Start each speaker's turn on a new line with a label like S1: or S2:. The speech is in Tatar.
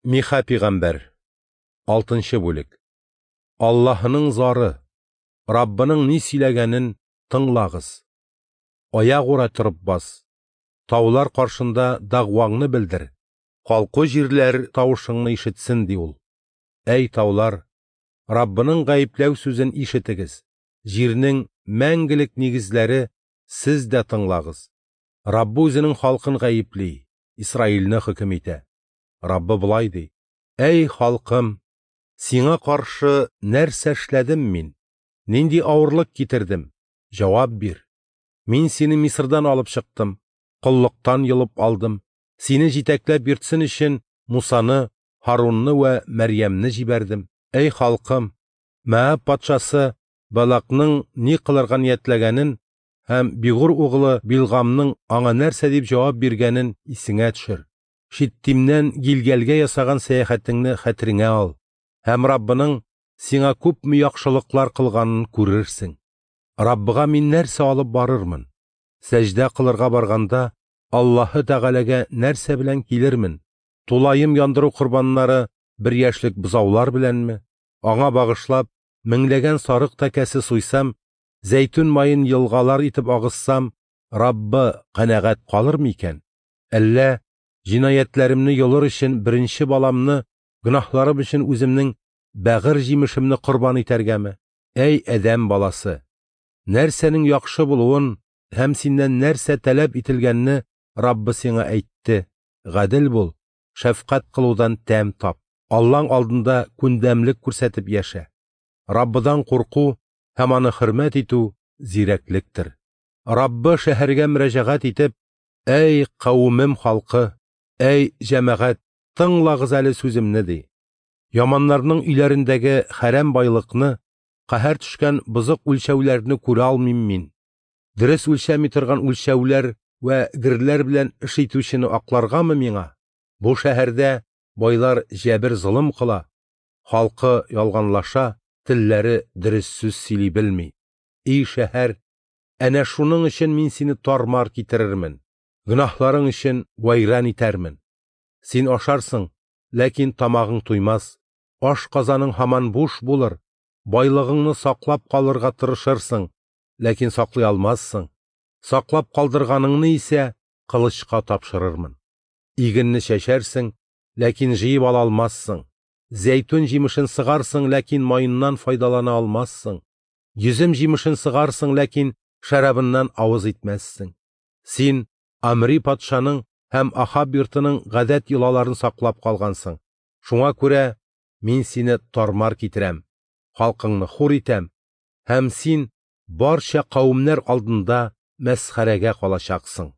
S1: Миха пигамбәр, 6 бүлек. Аллаһының зары, Раббының ни сөйләгәнен тыңлагыз. Аягура торып бас. Таулар каршында дәгъваңны белдер. Калку җирләр тавышыңны ишетсен, ди ул. Әй таулар, Раббының гаепләү сүзен ишетегез. Җирнең мәңгелек нигезләре, сез дә тыңлагыз. Раббы үзенең халкын гаепли, Исраилне хөкем итә. Раббы болай ди: Әй халкым, сиңа каршы нәрсә эшләдем мин? Нинди авырлык китердем? Җавап бир. Мин сине Мисырдан алып чыктым, коллыктан йолып алдым. Сине җитәкләп йөртсен өчен Мусаны, Һарунны вә Мәрьямне җибәрдем. Әй халкым, Моаб патшасы Балакның ни кылырга ниятләгәнен һәм Бигур углы Билгамның аңа нәрсә дип җавап биргәнен исеңә төшер. Шиттимнән Гилгәлгә ясаган сәяхәтеңне хәтереңә ал һәм Раббының сиңа күпме яхшылыклар кылганын күрерсең. Раббыга мин нәрсә алып барырмын? Сәҗдә кылырга барганда Аллаһы Тәгаләгә нәрсә белән килермен? Тулаем яндыру корбаннары бер яшьлек бозаулар беләнме? Аңа багышлап меңләгән сарык тәкәсе суйсам, зәйтүн маен елгалар итеп агызсам, Раббы канәгать калыр микән? Әллә җинаятьләремне йолыр өчен беренче баламны, гөнаһларым өчен үземнең бәгырь җимешемне корбан итәргәме? Әй адәм баласы, нәрсәнең яхшы булуын һәм синнән нәрсә таләп ителгәнне Раббы сиңа әйтте. Гадел бул, шәфкать кылудан тәм тап. Аллаң алдында күндәмлек күрсәтеп яшә. Раббыдан курку һәм аны хөрмәт итү зирәклектер. Раббы шәһәргә мөрәҗәгать итеп: Әй кавемем халкы, әй җәмәгать, тыңлагыз әле сүземне, ди. Яманнарның өйләрендәге хәрам байлыкны, каһәр төшкән бозык үлчәүләрне күрә алмыйм мин. Дөрес үлчәми торган үлчәүләр вә герләр белән эш итүчене акларгамы миңа? Бу шәһәрдә байлар җәбер-золым кыла, халкы ялганлаша, телләре дөрес сүз сөйли белми. Ий шәһәр, әнә шуның өчен мин сине тармар китерермен, гөнаһларың өчен вәйран итәрмен. Син ашарсың, ләкин тамагың туймас, аш казаның һаман буш булыр, байлыгыңны саклап калырга тырышырсың, ләкин саклый алмассың. Саклап калдырганыңны исә кылычка тапшырырмын. Игенне чәчәрсең, ләкин җыеп ала алмассың. Зәйтүн җимешен сыгарсың, ләкин маеннан файдалана алмассың. Йөзем җимешен сыгарсың, ләкин шәрабыннан авыз итмәссең. Син Амри патшаның һәм Ахаб йортының гадәт йолаларын саклап калгансың. Шуңа күрә мин сине тармар китерәм, халкыңны хур итәм, һәм син барча кавемнәр алдында мәсхәрәгә калачаксың.